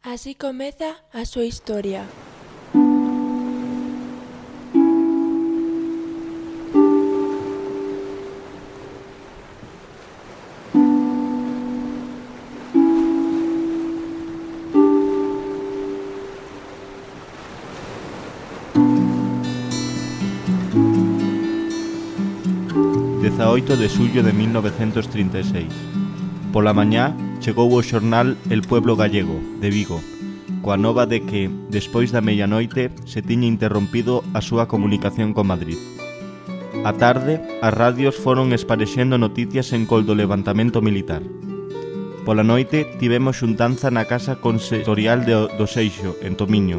Así comeza a súa historia. De xullo de 1936. Pola mañá chegou o xornal El Pueblo Gallego, de Vigo, coa nova de que, despois da medianoite, se tiña interrompido a súa comunicación con Madrid. A tarde, as radios foron esparexendo noticias en col do levantamento militar. Pola noite tivemos xuntanza na Casa Consistorial do Seixo, en Tomiño.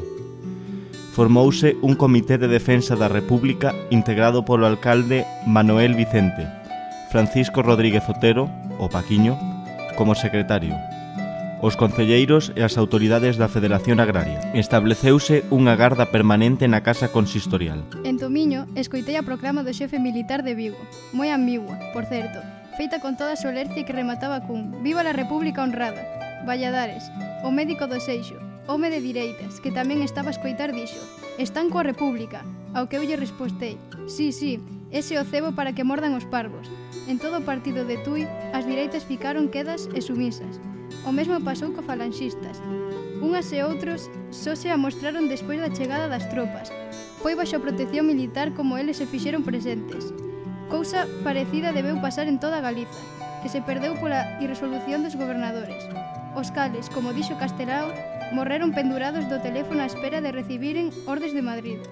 Formouse un comité de defensa da República integrado polo alcalde Manuel Vicente, Francisco Rodríguez Otero, o Paquiño, como secretario, os concelleiros e as autoridades da Federación Agraria. Estableceuse unha garda permanente na Casa Consistorial. En Tomiño, escoitei a proclama do xefe militar de Vigo, moi ambigua, por certo, feita con toda a solercia que remataba cun «Viva la República honrada!». Valladares, o médico do Seixo, home de direitas, que tamén estaba a escoitar, dixo «Están coa República», ao que eu lle respostei «Sí, ese o cebo para que mordan os parvos». En todo o partido de Tui, as direitas ficaron quedas e sumisas. O mesmo pasou co falanxistas. Unhas e outros só se amostraron despois da chegada das tropas. Foi baixo a protección militar como eles se fixeron presentes. Cousa parecida debeu pasar en toda Galiza, que se perdeu pola irresolución dos gobernadores. Os cales, como dixo Castelao, morreron pendurados do teléfono á espera de recibiren ordes de Madrid.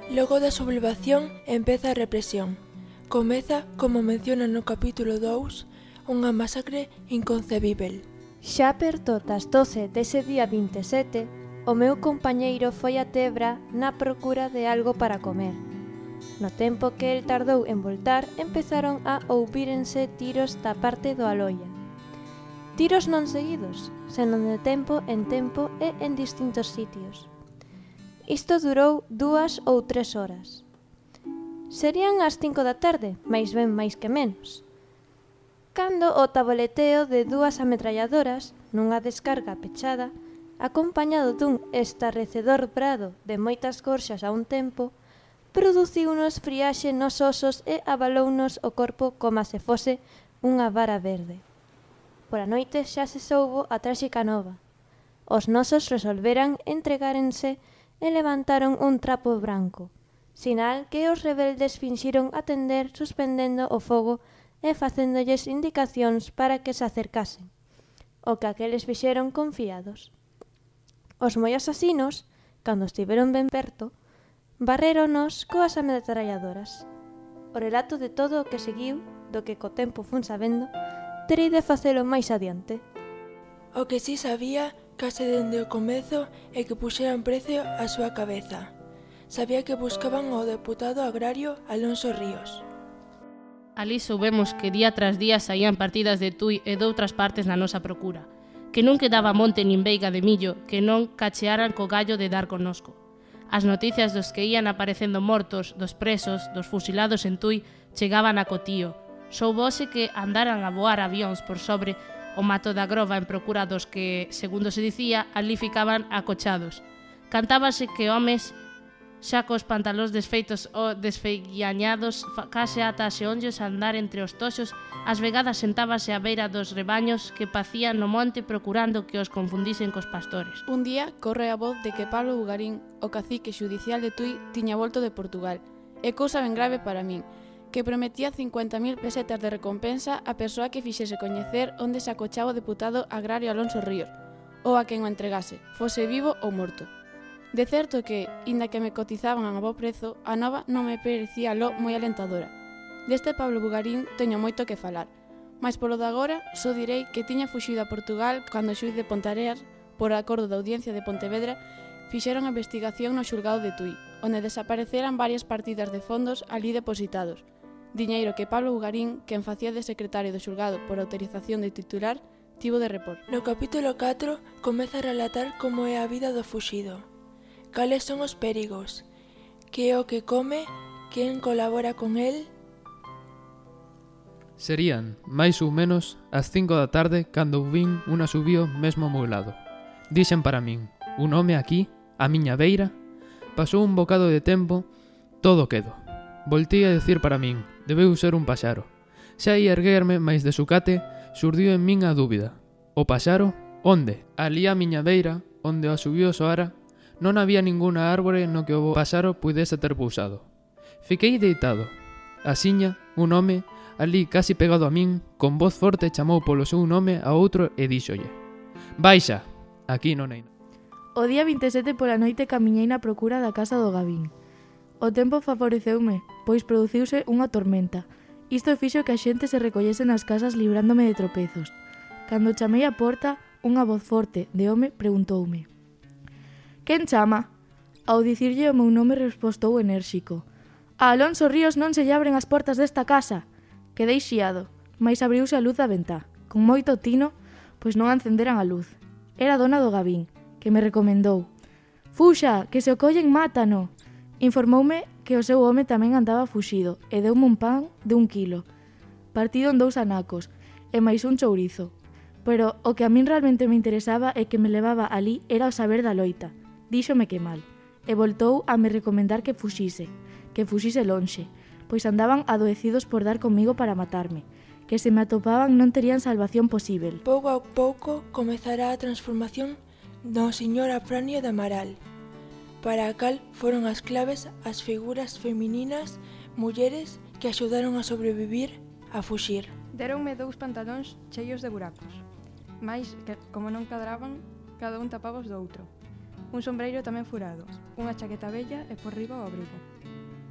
Logo da sublevación empeza a represión. Comeza, como menciona no capítulo 2, unha masacre inconcebível. Xa perto das 12 dese día 27, o meu compañeiro foi a Tebra na procura de algo para comer. No tempo que el tardou en voltar, empezaron a ouvírense tiros da parte do Aloia. Tiros non seguidos, senón de tempo en tempo e en distintos sitios. Isto durou 2 ou 3 horas. Serían as 5 da tarde, máis ben máis que menos, cando o taboleteo de 2 ametralladoras nunha descarga pechada, acompañado dun estarrecedor brado de moitas gorxas a un tempo, produciunos friaxe nos osos e abalounos o corpo como se fose unha vara verde. Pola noite xa se soubo a tráxica nova. Os nosos resolveran entregárense e levantaron un trapo branco, sinal que os rebeldes finxiron atender suspendendo o fogo e facéndolles indicacións para que se acercasen, o que aqueles fixeron confiados. Os moi asasinos, cando estiveron ben perto, barréronos coas ametralladoras. O relato de todo o que seguiu, do que co tempo fun sabendo, terei de facelo máis adiante. O que si sabía, case dende o comezo, é que puxeran precio á súa cabeza. Sabía que buscaban ao deputado agrario Alonso Ríos. Alí soubemos que día tras día saían partidas de Tui e doutras partes na nosa procura, que non quedaba monte nin veiga de millo que non cachearan co gallo de dar connosco. As noticias dos que ían aparecendo mortos, dos presos, dos fusilados en Tui, chegaban a Cotío. Soubose que andaran a voar avións por sobre o mato da Grova en procura dos que, segundo se dicía, ali ficaban acochados. Cantábase que homes xa cos pantalóns desfeitos ou desfeguiañados, case ata as xeonllos a andar entre os toxos, ás vegadas sentábase á beira dos rebaños que pacían no monte procurando que os confundisen cos pastores. Un día corre a voz de que Pablo Bugarín, o cacique xudicial de Tui, tiña volto de Portugal. É cousa ben grave para min, que prometía 50.000 pesetas de recompensa a persoa que fixese coñecer onde se acochaba o deputado agrario Alonso Ríos, ou a quen o entregase, fose vivo ou morto. De certo que, inda que me cotizaban a bo prezo, a nova non me parecía lo moi alentadora. Deste Pablo Bugarín teño moito que falar, mas polo de agora só direi que tiña fuxido a Portugal cando o xuíz de Pontareas, por acordo da Audiencia de Pontevedra, fixeron a investigación no xulgado de Tui, onde desapareceran varias partidas de fondos ali depositados. Diñeiro que Pablo Bugarín, quen facía de secretario do xulgado por autorización de titular, tivo de repor. No capítulo 4 comeza a relatar como é a vida do fuxido. Cales son os perigos? Que é o que come? Quen colabora con el? Serían, máis ou menos, as 5 da tarde cando vin un asubío mesmo ao meu lado. Dixen para min, un home aquí, á miña beira, pasou un bocado de tempo, todo quedo. Voltei a decir para min, debeu ser un paxaro. Xa ia erguerme, mais de sucate, surdiu en min a dúbida. O paxaro? Onde? Ali á miña beira, onde o asubío soara, non había ninguna árbore no que o paxaro pudese ter pousado. Fiquei deitado. Asiña, un home, ali casi pegado a min, con voz forte chamou polo seu nome a outro e díxolle: Baixa, aquí non hai. O día 27 pola noite camiñei na procura da casa do Gavín. O tempo favoreceume, pois produciuse unha tormenta. Isto fixo que a xente se recollese nas casas librándome de tropezos. Cando chamei a porta, unha voz forte de home preguntoume: Quen chama? Ao dicirlle o meu nome respostou enérxico: A Alonso Ríos non se lle abren as portas desta casa. Quedei xiado, mais abriuse a luz da ventá, con moito tino, pois non encenderan a luz. Era a dona do Gavín, que me recomendou: Fuxa, que se o collen mátano. Informoume que o seu home tamén andaba fuxido e deume un pan de 1 quilo, partido en 2 anacos e máis un chourizo. Pero o que a min realmente me interesaba e que me levaba ali era o saber da loita. Díxome que mal, e voltou a me recomendar que fuxise lonxe, pois andaban adoecidos por dar comigo para matarme, que se me atopaban non terían salvación posíbel. Pouco a pouco comezará a transformación do señor Afranio de Amaral, para a cal foron as claves as figuras femininas, mulleres que axudaron a sobrevivir, a fuxir. Deronme 2 pantalóns cheios de buracos, mais que, como non cadraban, cada un tapaba os do outro. Un sombreiro tamén furado, unha chaqueta bella e por riba o abrigo.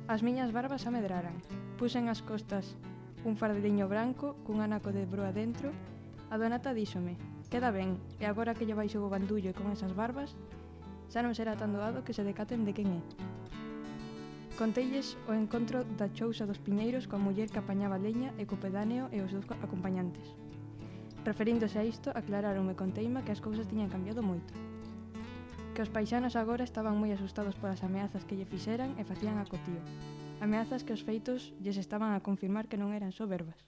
As miñas barbas amedraran. Puxen as costas un fardeliño branco cun anaco de broa dentro. A donata díxome: Queda ben, e agora que lle baixo o bandullo e con esas barbas, xa non será tan doado que se decaten de quen é. Conteilles o encontro da chousa dos Piñeiros coa muller que apañaba leña e co pedáneo e os 2 acompañantes. Referíndose a isto, aclaráronme con teima que as cousas tiñan cambiado moito. Que os paisanos agora estaban moi asustados polas ameazas que lle fixeran e facían acotío. Ameazas que os feitos lles estaban a confirmar que non eran só verbas.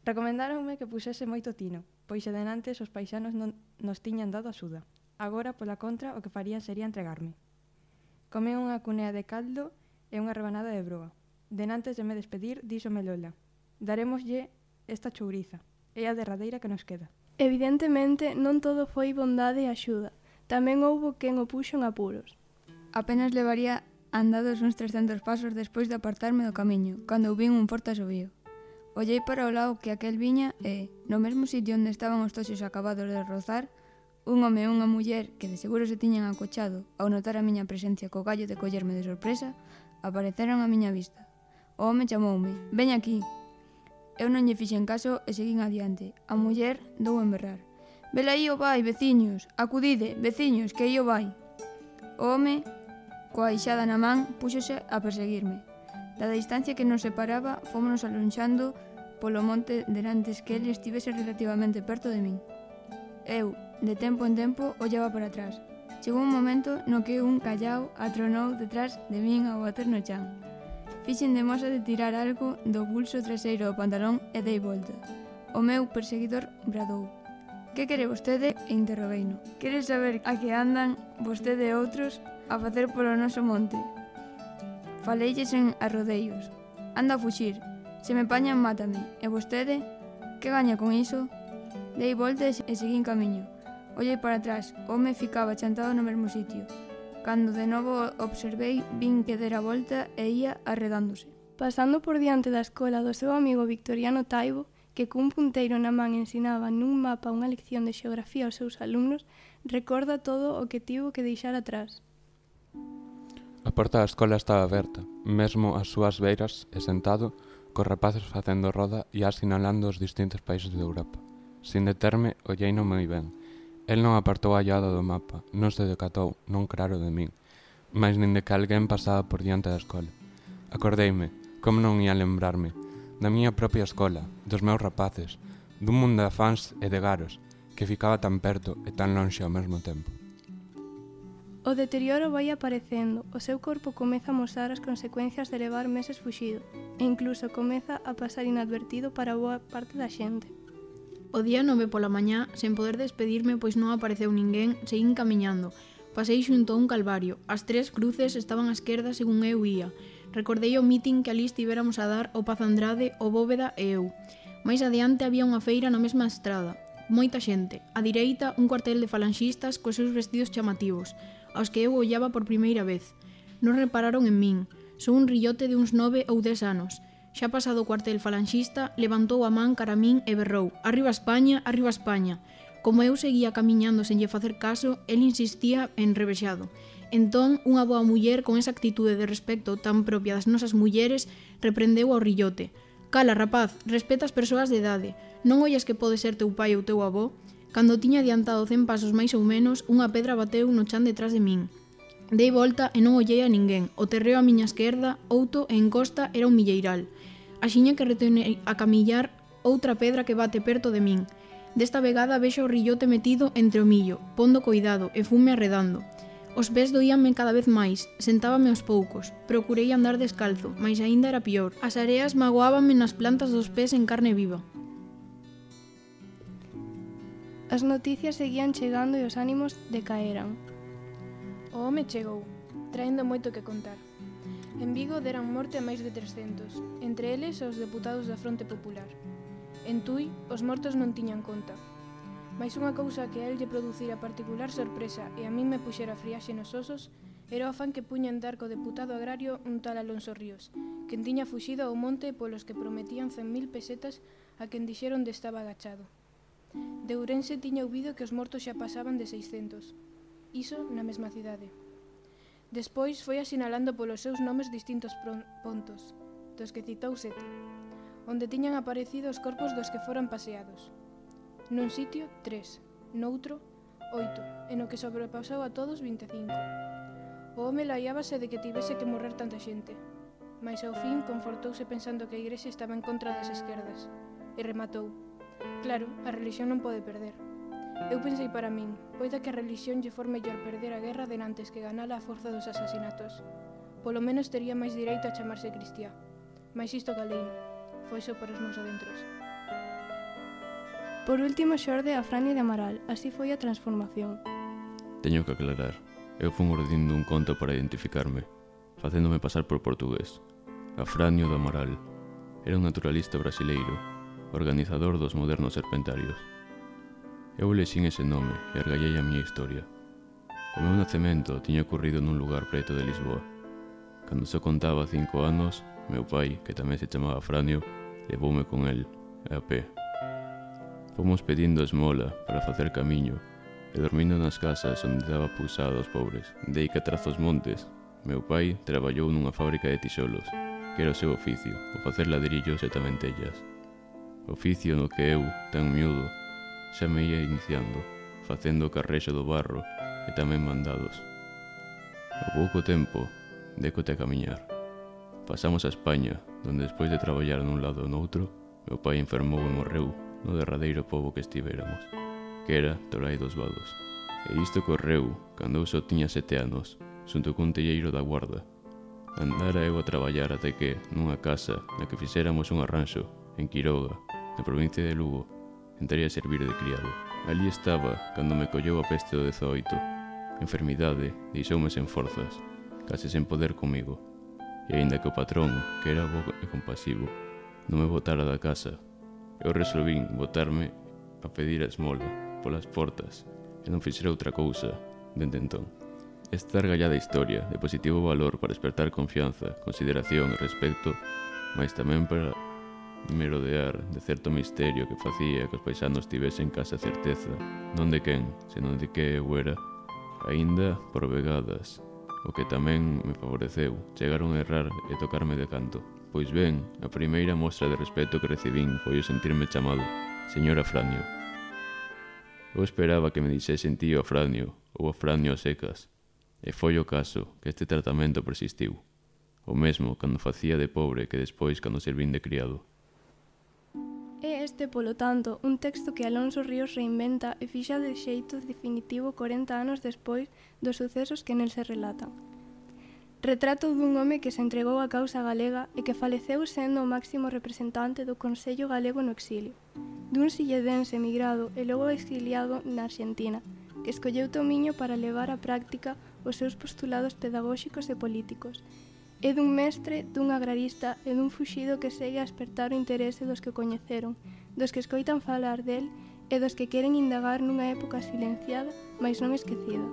Recomendáronme que puxese moito tino, pois se denantes os paisanos non nos tiñan dado axuda. Agora, pola contra, o que farían sería entregarme. Comei unha cunea de caldo e unha rebanada de broa. Denantes de me despedir, díxome Lola: Darémoslle esta chouriza, é a derradeira que nos queda. Evidentemente, non todo foi bondade e axuda. Tamén houbo quen o puxo en apuros. Apenas levaría andados uns 300 pasos despois de apartarme do camiño, cando vin un forte asubío. Ollei para o lado que aquel viña e, no mesmo sitio onde estaban os toxos acabados de rozar, un home e unha muller que de seguro se tiñan acochado ao notar a miña presencia co gallo de collerme de sorpresa, apareceron á miña vista. O home chamoume: Veña aquí. Eu non lle fixen caso e seguín adiante. A muller dou en berrar: Vela aí o vai, veciños, acudide, veciños, que aí o vai. O home, coa ixada na man, púxose a perseguirme. Da distancia que nos separaba, fómonos alonxando polo monte denantes que ele estivese relativamente perto de min. Eu, de tempo en tempo, ollaba para atrás. Chegou un momento no que un callao atronou detrás de min ao bater no chan. Fixen de moza de tirar algo do pulso traseiro do pantalón e dei volta. O meu perseguidor bradou: Que quere vostede? E interrogueino: Quere saber a que andan vostede e outros a facer polo noso monte? Faleilles en arrodeos: Anda a fuxir, se me pañan mátame. E vostede? Que gaña con iso? Dei volta e seguín camiño. Ollei para atrás, o home ficaba chantado no mesmo sitio. Cando de novo observei, vin que dera volta e ia arredándose. Pasando por diante da escola do seu amigo Victoriano Taibo, que cun punteiro na man ensinaba nun mapa unha lección de xeografía aos seus alumnos, recorda todo o que tivo que deixar atrás. A porta da escola estaba aberta, mesmo ás súas beiras e sentado, cos rapaces facendo roda e asinalando os distintos países de Europa. Sin determe, olleino moi ben. El non apartou a llada do mapa, non se decatou, non claro de min, mais nin de que alguén pasaba por diante da escola. Acordeime, como non ia lembrarme, da miña propia escola, dos meus rapaces, dun mundo de afáns e de garos, que ficaba tan perto e tan lonxe ao mesmo tempo. O deterioro vai aparecendo, o seu corpo comeza a mostrar as consecuencias de levar meses fuxido, e incluso comeza a pasar inadvertido para boa parte da xente. O día 9 pola mañá, sen poder despedirme pois non apareceu ninguén, seguín camiñando. Pasei xunto a un calvario. As 3 cruces estaban á esquerda según eu ía. Recordei o mitin que alí estivéramos a dar o Paz Andrade, o Bóveda e eu. Mais adiante había unha feira na mesma estrada. Moita xente. A direita, un cuartel de falanxistas cos seus vestidos chamativos, aos que eu ollaba por primeira vez. Non repararon en min. Son un rillote de uns 9 ou 10 anos. Xa pasado o cuartel falanxista, levantou a man cara a min e berrou: "Arriba España, arriba España!". Como eu seguía camiñando sen lle facer caso, el insistía enrevexado. Entón, unha boa muller con esa actitude de respecto tan propia das nosas mulleres reprendeu ao rillote: "Cala, rapaz, respeta as persoas de idade. Non ollas que pode ser teu pai ou teu avó?". Cando tiña adiantado 100 pasos máis ou menos, unha pedra bateu no chan detrás de min. Dei volta e non ollei a ninguén. O terreo á miña esquerda, outo e en costa era un milleiral. Axiña que retornei a camillar, outra pedra que bate perto de min. Desta vegada vexo o rillote metido entre o millo, pondo coidado e fume arredando. Os pés doíanme cada vez máis, sentábame aos poucos. Procurei andar descalzo, mais aínda era pior. As areas magoábanme nas plantas dos pés en carne viva. As noticias seguían chegando e os ánimos decaeran. O home chegou, traendo moito que contar. En Vigo deran morte a máis de 300, entre eles os deputados da Fronte Popular. En Tui, os mortos non tiñan conta. Mais unha cousa que a el lle producira particular sorpresa e a min me puxera friaxe nos osos era o afán que puña en dar co deputado agrario un tal Alonso Ríos, quen tiña fuxido ao monte polos que prometían 100.000 pesetas a quen dixeron de estaba agachado. De Ourense tiña ouvido que os mortos xa pasaban de 600. Iso na mesma cidade. Despois foi asinalando polos seus nomes distintos pontos, dos que citou 7, onde tiñan aparecido os corpos dos que foran paseados. Nun sitio, 3, noutro, 8, e no que sobrepasou a todos 25. O home laiábase de que tivese que morrer tanta xente, mas ao fin confortouse pensando que a igrexa estaba en contra das esquerdas, e rematou: "Claro, a relixión non pode perder". Eu pensei para min, poida que a relixión lle for mellor perder a guerra denantes que ganala a forza dos asasinatos. Polo menos tería máis direito a chamarse cristiá. Mais isto caleino, foi só por os meus adentros. Por último xorde Afranio de Amaral, así foi a transformación. Teño que aclarar, eu fun ordindo un conto para identificarme, facéndome pasar por portugués. Afranio de Amaral era un naturalista brasileiro, organizador dos modernos serpentarios. Eu elexín ese nome e argallei a miña historia. O meu nacemento tiña ocorrido nun lugar preto de Lisboa. Cando só contaba 5 anos, meu pai, que tamén se chamaba Franio, levoume con el, a pé. Fomos pedindo esmola para facer camiño e dormindo nas casas onde daba pousada aos pobres. Dei que tras os montes, meu pai traballou nunha fábrica de tisolos, que era o seu oficio, o facer ladrillos e tamén tellas. Oficio no que eu, tan miúdo, xa me ia iniciando, facendo o carrexo do barro e tamén mandados. Ao pouco tempo, décote a camiñar. Pasamos a España, donde despois de traballar nun lado ou noutro, meu pai enfermou e morreu no derradeiro pobo que estivéramos, que era Torai dos Vados. E isto correu cando eu só tiña 7 anos, xunto cun telleiro da Guarda. Andara eu a traballar até que, nunha casa na que fixéramos un arranxo, en Quiroga, na provincia de Lugo, entrei a servir de criado. Ali estaba cando me colleu a peste do 18. A enfermidade deixoume sen forzas, case sen poder comigo. E aínda que o patrón, que era bo e compasivo, non me botara da casa, eu resolvín botarme a pedir a esmola polas portas e non fixera outra cousa dende entón. Esta argallada historia de positivo valor para despertar confianza, consideración e respecto, mas tamén para merodear de certo misterio que facía que os paisanos tivesen case a certeza, non de quen, senón de que eu era, aínda por vegadas, o que tamén me favoreceu, chegaron a errar e tocarme de canto. Pois ben, a primeira mostra de respeto que recibín foi o sentirme chamado Señor Afranio. Eu esperaba que me dixesen tío Afranio ou Afranio a secas, e foi o caso que este tratamento persistiu, o mesmo cando facía de pobre que despois cando servín de criado. É este, polo tanto, un texto que Alonso Ríos reinventa e fixa de xeito definitivo 40 anos despois dos sucesos que nel se relatan. Retrato dun home que se entregou á causa galega e que faleceu sendo o máximo representante do Consello Galego no exilio. dun silledense emigrado e logo exiliado na Argentina, que escolleu Tomiño para levar á práctica os seus postulados pedagóxicos e políticos. É dun mestre, dun agrarista e dun fuxido que segue a espertar o interese dos que o coñeceron, dos que escoitan falar del e dos que queren indagar nunha época silenciada, mais non esquecida.